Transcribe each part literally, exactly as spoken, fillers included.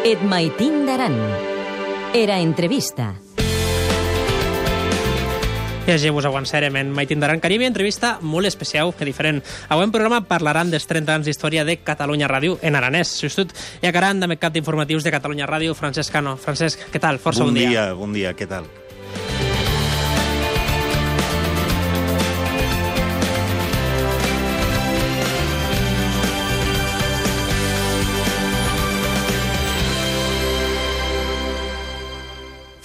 Et maitin d'aran. Era entrevista. I així vos avançarem en Maitin d'aran Caribe, entrevista molt especial i diferent. Avui en programa parlaran dels trenta anys d'història de Catalunya Ràdio en aranès. Justut i acaran de cap d'informatius de Catalunya Ràdio, Francesc Cano. Francesc, què tal? Força bon, bon dia. dia. Bon dia, què tal?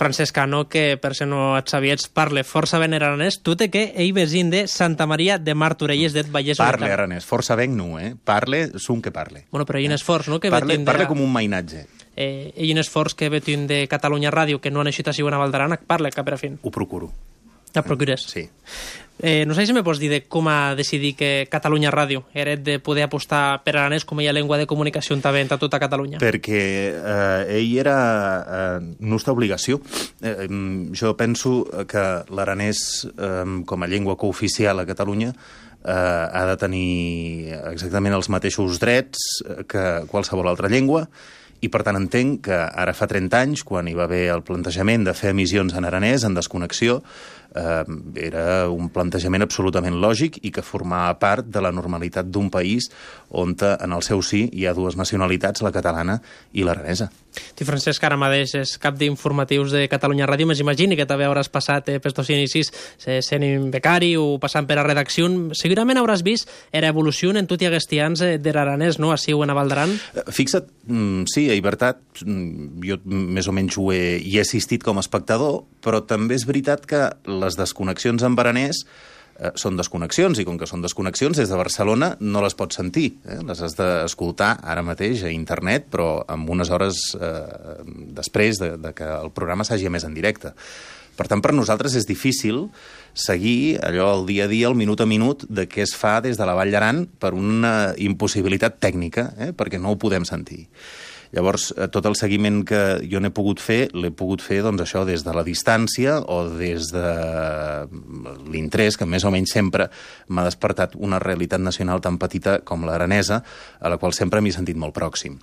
Francesc Cano, que per si no et sabies, parle força ben aranès. Tu te que ell vesin de Santa Maria de Martorelles d'et Vallès Oriental. Parle aranès, força ben no, eh? Parle, sun que parle. Bueno, però hi ha un esforç, no? Que Parle, de... parle com un mainatge. Eh, hi ha un esforç que vetin de Catalunya Ràdio, que no han eixit així una Val d'Aran, parle cap per a fin. Ho procuro. La procures? Sí. Eh, no sé si me pots dir de com a decidir que Catalunya Ràdio era de poder apostar per aranès com a llengua de comunicació en a tota Catalunya. Perquè eh, ell era eh, nostra obligació. Eh, jo penso que l'aranès eh, com a llengua cooficial a Catalunya eh, ha de tenir exactament els mateixos drets que qualsevol altra llengua, i per tant entenc que ara fa trenta anys, quan hi va haver el plantejament de fer emissions en aranès, en desconnexió, eh, era un plantejament absolutament lògic i que formava part de la normalitat d'un país on en el seu sí hi ha dues nacionalitats, la catalana i l'aranesa. Tu, Francesc, ara mateix és cap d'informatius de Catalunya Ràdio. M'imagini que també hauràs passat eh, per estos inicis eh, sent becari o passant per a redacció. Segurament hauràs vist era evolució en tot i aguestians eh, de l'aranès, no?, així en a Val d'Aran. Fixa't, mm, sí, a veritat, jo més o menys ho he, hi he assistit com a espectador, però també és veritat que les desconnexions en aranès eh, són desconnexions, i com que són desconnexions, des de Barcelona no les pots sentir. Eh? Les has d'escoltar ara mateix a internet, però amb unes hores eh, després de, de que el programa s'hagi emès en directe. Per tant, per nosaltres és difícil seguir allò el dia a dia, el minut a minut, de què es fa des de la Vall d'Aran per una impossibilitat tècnica, eh? perquè no ho podem sentir. Llavors, tot el seguiment que jo n'he pogut fer, l'he pogut fer, doncs, això, des de la distància o des de l'interès, que més o menys sempre m'ha despertat una realitat nacional tan petita com l'aranesa, a la qual sempre m'he sentit molt pròxim.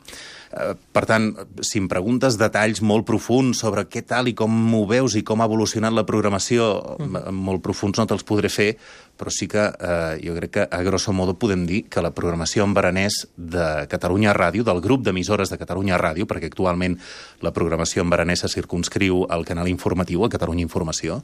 Per tant, si em preguntes detalls molt profuns sobre què tal i com ho veus i com ha evolucionat la programació, mm. molt profuns no te'ls podré fer, però sí que eh, jo crec que a grosso modo podem dir que la programació en aranès de Catalunya Ràdio, del grup d'emissores de Catalunya Ràdio, perquè actualment la programació en aranès se circumscriu al canal informatiu, a Catalunya Informació,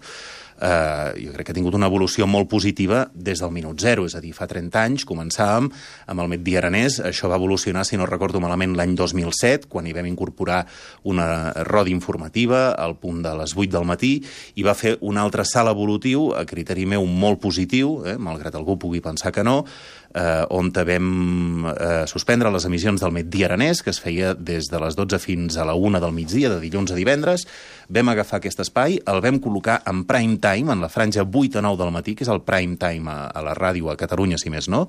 Uh, jo crec que ha tingut una evolució molt positiva des del minut zero, és a dir, fa trenta anys començàvem amb el Migdia Aranès. Això va evolucionar, si no recordo malament, l'any dos mil set, quan hi vam incorporar una roda informativa al punt de les vuit del matí, i va fer un altre salt evolutiu, a criteri meu molt positiu, eh, malgrat algú pugui pensar que no, eh, on vam eh, suspendre les emissions del Migdia Aranès, que es feia des de les dotze fins a la una del migdia, de dilluns a divendres. Vam agafar aquest espai, el vam col·locar en prime time, en la franja vuit a nou del matí, que és el prime time a, a la ràdio a Catalunya, si més no,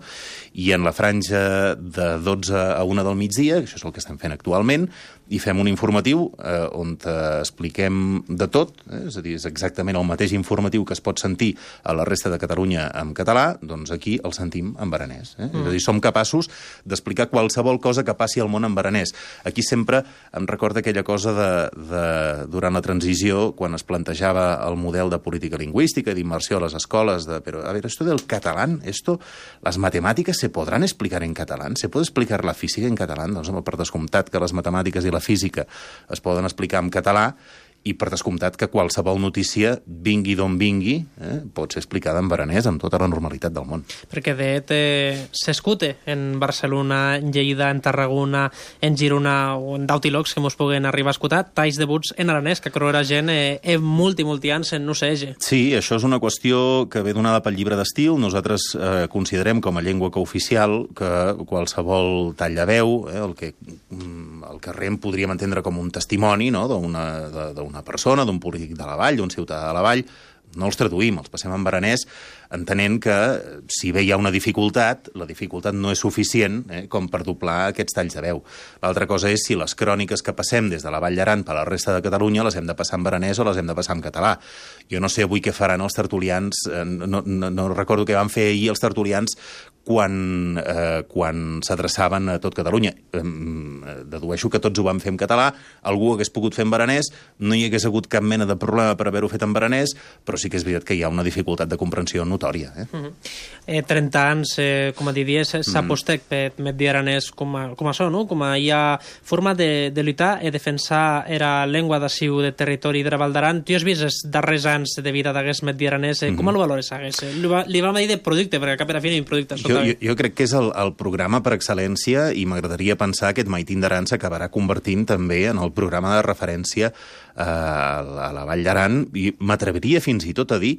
i en la franja de dotze a una del migdia, que això és el que estem fent actualment, i fem un informatiu eh, on expliquem de tot, eh? És a dir, és exactament el mateix informatiu que es pot sentir a la resta de Catalunya en català, doncs aquí el sentim en aranès. Eh? Mm. És a dir, som capaços d'explicar qualsevol cosa que passi al món en aranès. Aquí sempre em recorda aquella cosa de, de, durant la transició, quan es plantejava el model de política lingüística, d'immersió a les escoles, de, però, a veure, esto del catalán, esto, las matemáticas se podrán explicar en catalán, se puede explicar la física en catalán, doncs, per descomptat que les matemàtiques i la física es poden explicar en català, i per descomptat que qualsevol notícia, vingui d'on vingui, eh, pot ser explicada en aranès amb tota la normalitat del món. Perquè de eh, s'escute en Barcelona, en Lleida, en Tarragona, en Girona o en d'Autilocs que mos puguen arribar a escoltar, talls debuts en aranès, que creu la gent eh, eh, multi, multi anys en no sé. Sí, això és una qüestió que ve donada pel llibre d'estil. Nosaltres eh, considerem com a llengua cooficial que qualsevol tall de veu, eh, el que el que rem podríem entendre com un testimoni, no?, d'una d'una persona, d'un polític de la Vall, d'un ciutadà de la Vall, no els traduïm, els passem en aranès, entenent que si bé hi ha una dificultat, la dificultat no és suficient eh, com per doblar aquests talls de veu. L'altra cosa és si les cròniques que passem des de la Vall d'Aran per a la resta de Catalunya les hem de passar en aranès o les hem de passar en català. Jo no sé avui què faran els tertulians, eh, no, no, no recordo què van fer ahir els tertulians quan, eh, quan s'adreçaven a tot Catalunya. Eh, dedueixo que tots ho vam fer en català, algú ho hagués pogut fer en baranès, no hi hagués hagut cap mena de problema per haver-ho fet en baranès, però sí que és veritat que hi ha una dificultat de comprensió notòria. Eh? Uh -huh. eh, trenta anys, eh, com a diries, s'apostec mm. per medir aranès com a, com a això, no? Com a hi ha forma de, de lluitar i defensar era llengua d'ací de territori de la Val d'Aran. Tu has vist els darrers anys de vida d'hagués medir aranès, eh? Mm -hmm. Com el valores hagués? Li, va, li vam dir de producte, perquè a cap i a la fi no hi ha producte. Jo, jo, jo crec que és el, el programa per excel·lència i m'agradaria pensar que aquest Maitín d'Aran s'acabarà convertint també en el programa de referència eh, a la Vall d'Aran, i m'atreviria fins i tot a dir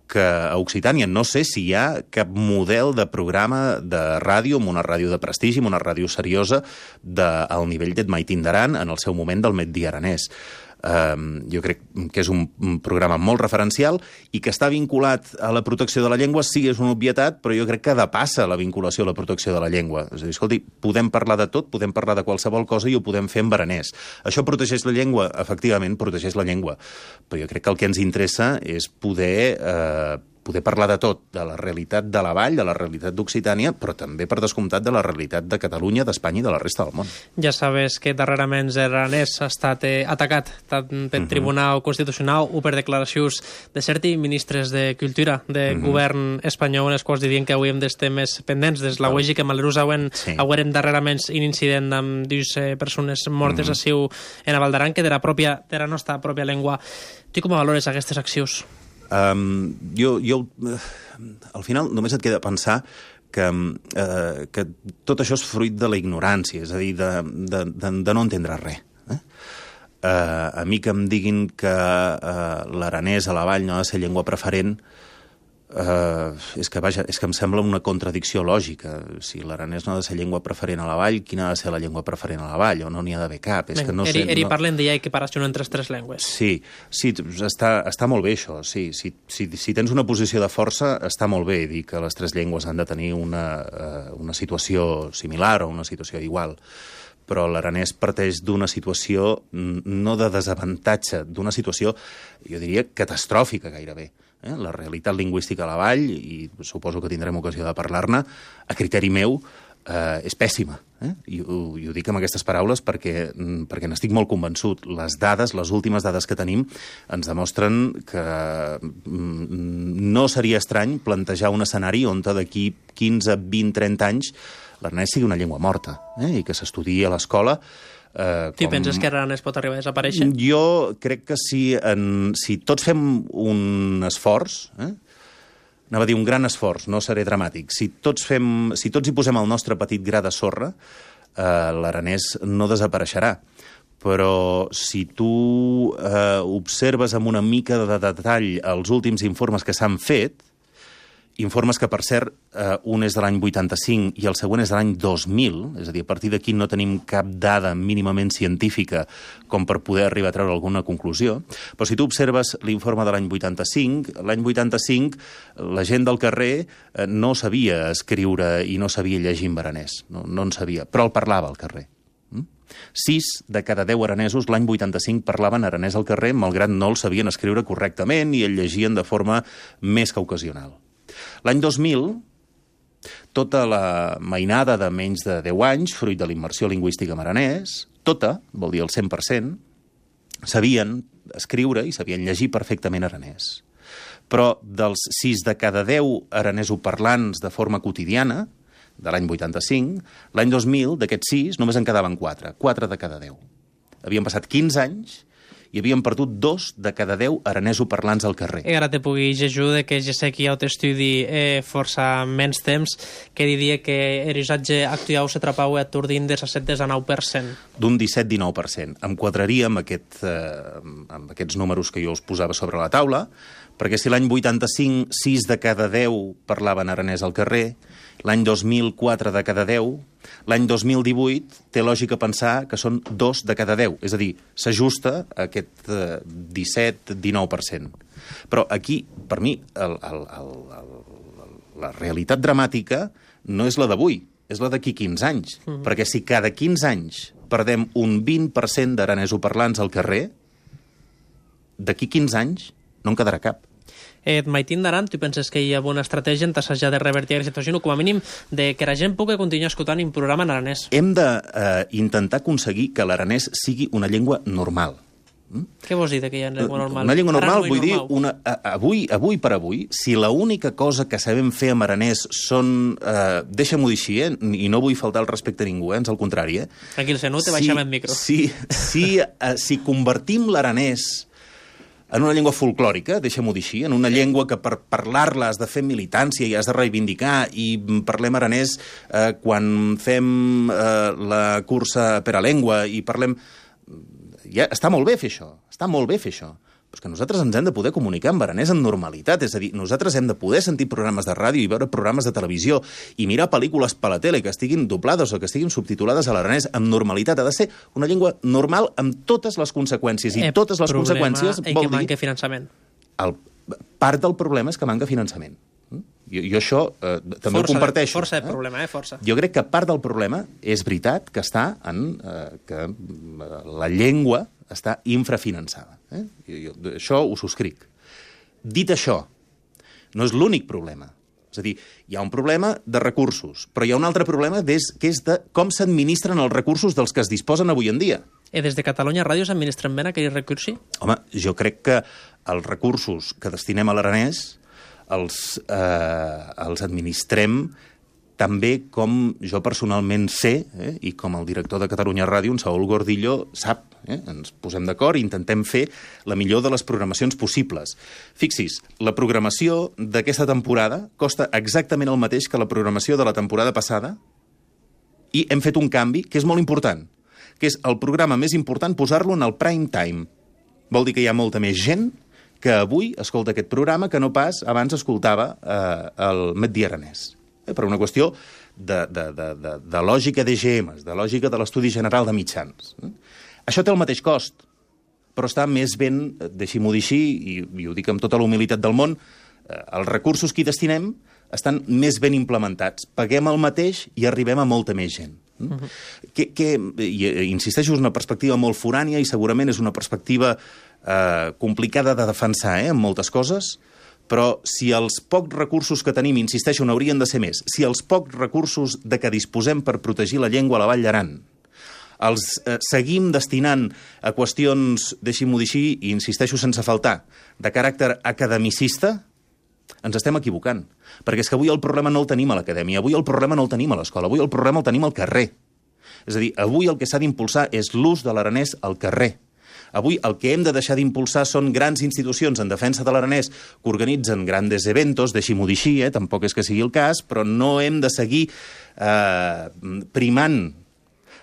que a Occitània no sé si hi ha cap model de programa de ràdio, amb una ràdio de prestigi, amb una ràdio seriosa, de, al nivell d'Et Maitín d'Aran, en el seu moment del Medi Aranès. Uh, jo crec que és un, un programa molt referencial i que està vinculat a la protecció de la llengua. Sí, és una obvietat, però jo crec que depassa la vinculació a la protecció de la llengua. És a dir, escolti, podem parlar de tot, podem parlar de qualsevol cosa i ho podem fer en baranès. Això protegeix la llengua? Efectivament, protegeix la llengua. Però jo crec que el que ens interessa és poder... Uh, poder parlar de tot, de la realitat de la Vall, de la realitat d'Occitània, però també, per descomptat, de la realitat de Catalunya, d'Espanya i de la resta del món. Ja sabes que darrerament l'Aranès ha estat eh, atacat tant per uh-huh. Tribunal Constitucional o per declaracions de certs ministres de Cultura de uh-huh. govern espanyol, els quals dirien que avui hem d'estar més pendents des la uegi que malheurós hauen, sí. haurem darrerament un incident amb dues eh, persones mortes uh-huh. així en la Val d'Aran, que de la, pròpia, de la nostra pròpia llengua. Tu com valores aquestes accions? Um, jo, jo, uh, al final, només et queda pensar que, uh, que tot això és fruit de la ignorància, és a dir, de, de, de, de no entendre res. Eh? Uh, a mi que em diguin que uh, l'aranès a la Vall no ha de ser llengua preferent, Uh, és que vaja, és que em sembla una contradicció lògica. Si l'aranès no ha de ser llengua preferent a la Vall, quina ha de ser la llengua preferent a la Vall? O no n'hi ha d'haver cap? És que no eri, sé, eri no... parlen d'hi ha equiparació entre les tres llengües. Sí, sí, està, està molt bé això. Sí, si, si, si tens una posició de força, està molt bé dir que les tres llengües han de tenir una, uh, una situació similar o una situació igual. Però l'aranès parteix d'una situació no de desavantatge, d'una situació, jo diria, catastròfica gairebé. Eh? La realitat lingüística a la Vall, i suposo que tindrem ocasió de parlar-ne, a criteri meu, eh, és pèssima. Eh? I, ho, I ho dic amb aquestes paraules perquè, perquè n'estic molt convençut. Les dades, les últimes dades que tenim, ens demostren que no seria estrany plantejar un escenari on d'aquí quinze, vint, trenta anys l'aranès sigui una llengua morta, eh? I que s'estudiï a l'escola. Eh, tu com... penses que l'aranès pot arribar a desaparèixer? Jo crec que si, en, si tots fem un esforç, eh? anava a dir un gran esforç, no seré dramàtic, si tots, fem, si tots hi posem el nostre petit gra de sorra, eh, l'aranès no desapareixerà. Però si tu eh, observes amb una mica de detall els últims informes que s'han fet, informes que, per cert, eh, un és de l'any vuitanta-cinc i el següent és de l'any dos mil, és a dir, a partir d'aquí no tenim cap dada mínimament científica com per poder arribar a treure alguna conclusió, però si tu observes l'informe de l'any vuitanta-cinc, l'any vuitanta-cinc la gent del carrer eh, no sabia escriure i no sabia llegir en baranès, no, no en sabia, però el parlava al carrer. Sis de cada deu aranesos l'any vuitanta-cinc parlaven aranès al carrer, malgrat no el sabien escriure correctament i el llegien de forma més que ocasional. L'any dos mil, tota la mainada de menys de deu anys, fruit de la immersió lingüística en aranès, tota, vol dir el cent per cent, sabien escriure i sabien llegir perfectament aranès. Però dels sis de cada deu aranesoparlants de forma quotidiana, de l'any vuitanta-cinc, l'any dos mil, d'aquests sis, només en quedaven quatre. Quatre de cada deu. Havien passat quinze anys i havien perdut dos de cada deu aranesoparlants al carrer. I ara te pugui ajuda que ja sé que hi ha un estudi eh, força menys temps que diria que el usatge actual s'atrapau a atordint des a set a nou per cent. D'un disset a dinou per cent. Em quadraria amb, aquest, eh, amb aquests números que jo us posava sobre la taula, perquè si l'any vuitanta-cinc sis de cada deu parlaven aranès al carrer, l'any dos mil quatre de cada deu, l'any dos mil divuit té lògica pensar que són dos de cada deu, és a dir, s'ajusta a aquest eh, disset a dinou per cent. Però aquí, per mi, el, el, el, el, la realitat dramàtica no és la d'avui, és la d'aquí quinze anys, mm-hmm. perquè si cada quinze anys perdem un vint per cent d'aranesoparlants al carrer, d'aquí quinze anys no en quedarà cap. Et maitin d'aran, tu penses que hi ha una estratègia en t'assajar de revertir aquesta situació, o com a mínim de que la gent pugui continuar escoltant un programa en aranès? Hem d'intentar aconseguir que l'aranès sigui una llengua normal. Mm? Què vols dir de que hi ha llengua normal? Una llengua normal, vull dir, una, avui, avui per avui, si l'única cosa que sabem fer amb aranès són... Eh, Deixa-m'ho dir així, eh? I no vull faltar el respecte a ningú, eh? Ans al contrari. Eh? Tranquil, Senú, te baixem el micro. Si, si, eh, si convertim l'aranès en una llengua folclòrica, deixa-m'ho dir així, en una llengua que per parlar-la has de fer militància i has de reivindicar, i parlem aranès eh, quan fem eh, la cursa per a llengua, i parlem... Ja, està molt bé fer això, està molt bé fer això, però és que nosaltres ens hem de poder comunicar amb aranès en normalitat, és a dir, nosaltres hem de poder sentir programes de ràdio i veure programes de televisió i mirar pel·lícules per la tele que estiguin doblades o que estiguin subtitulades a l'aranès amb normalitat. Ha de ser una llengua normal amb totes les conseqüències, i el totes les conseqüències vol dir... que manca finançament. El, part del problema és que manca finançament. Jo, jo això eh, també força ho comparteixo. De, força de problema, eh? Força. Jo crec que part del problema és veritat que està en eh, que la llengua està infrafinançada. Eh? Jo, jo, això ho subscric. Dit això, no és l'únic problema. És a dir, hi ha un problema de recursos, però hi ha un altre problema des, que és de com s'administren els recursos dels que es disposen avui en dia. I des de Catalunya Ràdio s'administren bé aquells recursos? Home, jo crec que els recursos que destinem a l'aranès els, eh, els administrem també com jo personalment sé, eh, i com el director de Catalunya Ràdio, en Saúl Gordillo, sap. Eh? Ens posem d'acord i intentem fer la millor de les programacions possibles. Fixis, la programació d'aquesta temporada costa exactament el mateix que la programació de la temporada passada, i hem fet un canvi que és molt important, que és el programa més important posar-lo en el prime time. Vol dir que hi ha molta més gent que avui escolta aquest programa que no pas abans escoltava eh, el Migdia Aranès. Eh, per una qüestió de, de, de, de, de lògica d'E G Ms, de lògica de l'Estudi General de Mitjans. Eh? Això té el mateix cost, però està més ben, deixi-m'ho dir així, i, i ho dic amb tota la humilitat del món, eh, els recursos que hi destinem estan més ben implementats. Paguem el mateix i arribem a molta més gent. Mm? Uh-huh. que, que, i, insisteixo, és una perspectiva molt forània i segurament és una perspectiva eh, complicada de defensar, eh, en moltes coses, però si els pocs recursos que tenim, insisteixo, n'haurien de ser més, si els pocs recursos de què disposem per protegir la llengua a la Vall d'Aran els eh, seguim destinant a qüestions, deixi-m'ho dir així, i insisteixo sense faltar, de caràcter academicista, ens estem equivocant. Perquè és que avui el problema no el tenim a l'acadèmia, avui el problema no el tenim a l'escola, avui el problema el tenim al carrer. És a dir, avui el que s'ha d'impulsar és l'ús de l'aranès al carrer. Avui el que hem de deixar d'impulsar són grans institucions en defensa de l'aranès que organitzen grandes eventos, deixi-m'ho dir així, eh? Tampoc és que sigui el cas, però no hem de seguir eh, primant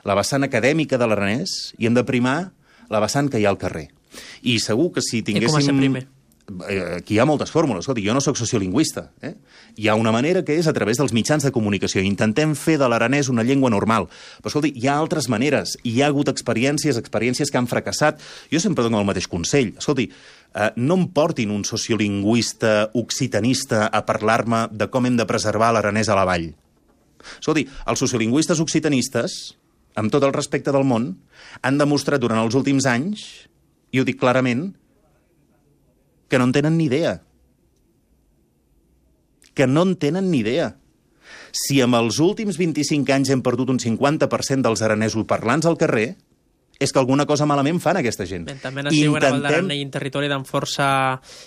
la vessant acadèmica de l'aranès i hem de primar la vessant que hi ha al carrer. I segur que si tinguéssim... I com a ser primer? Aquí hi ha moltes fórmules. Escolta, jo no sóc sociolingüista. Eh? Hi ha una manera que és a través dels mitjans de comunicació. Intentem fer de l'aranès una llengua normal. Però, escolta, hi ha altres maneres. Hi ha hagut experiències, experiències que han fracassat. Jo sempre dono el mateix consell. Escolta, eh, no em portin un sociolingüista occitanista a parlar-me de com hem de preservar l'aranès a la vall. Escolta, els sociolingüistes occitanistes, amb tot el respecte del món, han demostrat durant els últims anys, i ho dic clarament, que no en tenen ni idea. Que no en tenen ni idea. Si amb els últims vint-i-cinc anys hem perdut un cinquanta per cent dels aranesos parlants al carrer, és que alguna cosa malament fan aquesta gent. Ben, també nació Intentem... una Valdaran i un territori d'en força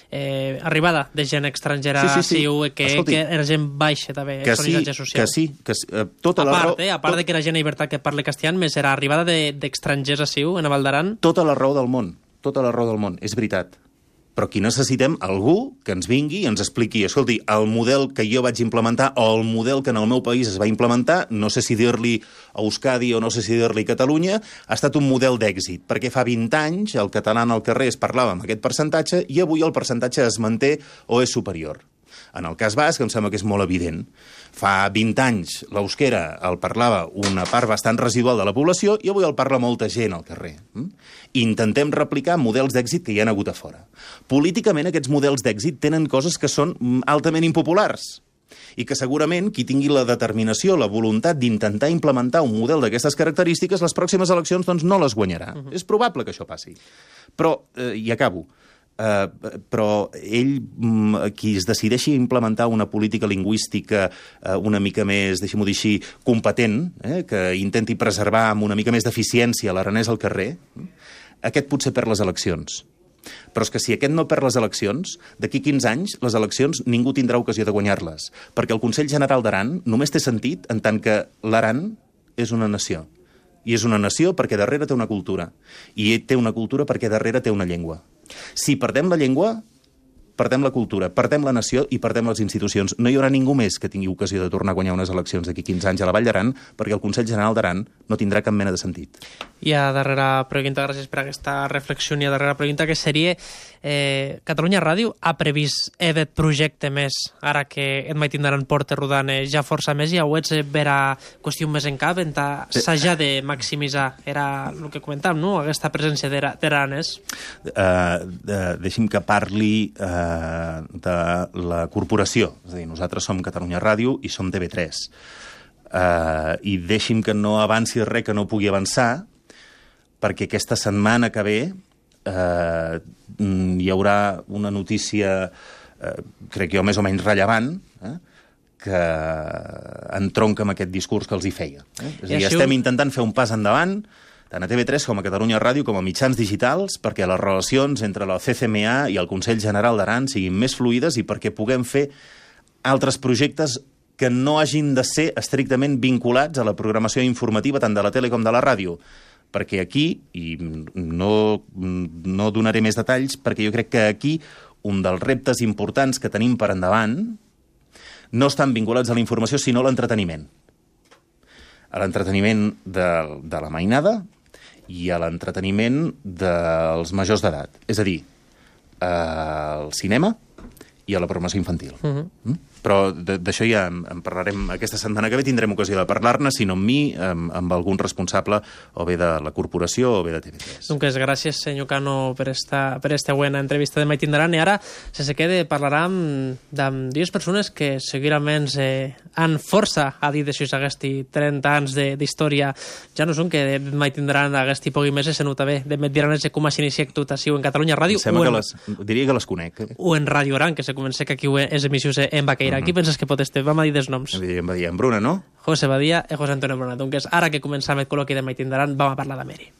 eh, arribada de gent estrangera, sí, sí, sí. Siu, que, Escolti, que era gent baixa també, que sí, social. Que sí, que sí. Uh, tota a la part, raó, eh, a part tot... de que era gent a llibertat que parla castellà, més era arribada d'estrangers de, a Siu, en Valdaran. Tota la raó del món, tota la raó del món, és veritat. Però aquí necessitem algú que ens vingui i ens expliqui, escolti, el model que jo vaig implementar o el model que en el meu país es va implementar, no sé si dir-li Euskadi o no sé si dir-li Catalunya, ha estat un model d'èxit, perquè fa vint anys el català al carrer es parlava amb aquest percentatge i avui el percentatge es manté o és superior. En el cas basc, em sembla que és molt evident. Fa vint anys l'euskera el parlava una part bastant residual de la població i avui el parla molta gent al carrer. Intentem replicar models d'èxit que hi ha hagut a fora. Políticament aquests models d'èxit tenen coses que són altament impopulars i que segurament qui tingui la determinació, la voluntat d'intentar implementar un model d'aquestes característiques, les pròximes eleccions doncs, no les guanyarà. Uh-huh. És probable que això passi. Però, eh, i acabo, Uh, però ell, qui es decideixi a implementar una política lingüística uh, una mica més, deixem-ho dir així, competent, eh, que intenti preservar amb una mica més d'eficiència l'aranès al carrer, aquest potser perd les eleccions. Però és que si aquest no perd les eleccions, d'aquí quinze anys, les eleccions ningú tindrà ocasió de guanyar-les, perquè el Consell General d'Aran només té sentit en tant que l'Aran és una nació. I és una nació perquè darrere té una cultura. I té una cultura perquè darrere té una llengua. Si perdem la llengua, perdem la cultura, perdem la nació i perdem les institucions. No hi haurà ningú més que tingui ocasió de tornar a guanyar unes eleccions d'aquí quinze anys a la Vall d'Aran, perquè el Consell General d'Aran no tindrà cap mena de sentit. I a darrera pregunta, gràcies per aquesta reflexió, i a darrera pregunta, que seria eh, Catalunya Ràdio ha previst aquest projecte més, ara que et mai tindran porta rodant eh, ja força més, i ho ets vera qüestió més en cap, en s'haja de maximitzar, era el que comentàvem, no?, aquesta presència d'Aranès. Uh, de, deixi'm que parli uh, de la corporació, és a dir, nosaltres som Catalunya Ràdio i som T V tres. Uh, I deixi'm que no avanci res que no pugui avançar, perquè aquesta setmana que ve eh, hi haurà una notícia, eh, crec jo, més o menys rellevant, eh, que entronca amb aquest discurs que els hi feia. Eh? És a dir, estem intentant fer un pas endavant, tant a T V tres com a Catalunya Ràdio, com a mitjans digitals, perquè les relacions entre la C C M A i el Consell General d'Aran siguin més fluides i perquè puguem fer altres projectes que no hagin de ser estrictament vinculats a la programació informativa tant de la tele com de la ràdio. Perquè aquí, i no, no donaré més detalls, perquè jo crec que aquí un dels reptes importants que tenim per endavant no estan vinculats a la informació, sinó a l'entreteniment. A l'entreteniment de, de la mainada i a l'entreteniment dels majors d'edat. És a dir, al cinema i a la programació infantil. Uh-huh. mm? Però d'això ja en parlarem aquesta setmana que ve, tindrem ocasió de parlar-ne, si no amb mi, amb, amb algun responsable o bé de la corporació o bé de T V tres. Doncs gràcies, senyor Cano, per esta, per esta buena entrevista de Mai Tindran. I ara, se se quede, parlarem amb dues persones que segurament eh, han força a dir d'això aquesti trenta anys d'història. Ja no són que de Mai Tindran aquesti pogui més se nota bé. De Mai Tindran és com a s'inicia tot així en Catalunya Ràdio. Em sembla en, que les, diria que les conec. Eh? O en Ràdio Aran, que se comença que aquí és emissions en Baqueira. Qui penses que pot estar? Vam a dir dels noms. Em va dir en Bruna, no? José Badia i José Antonio Bruna. Doncs ara que començam el col·loqui de Mai Tindran, vam a parlar d'Ameri.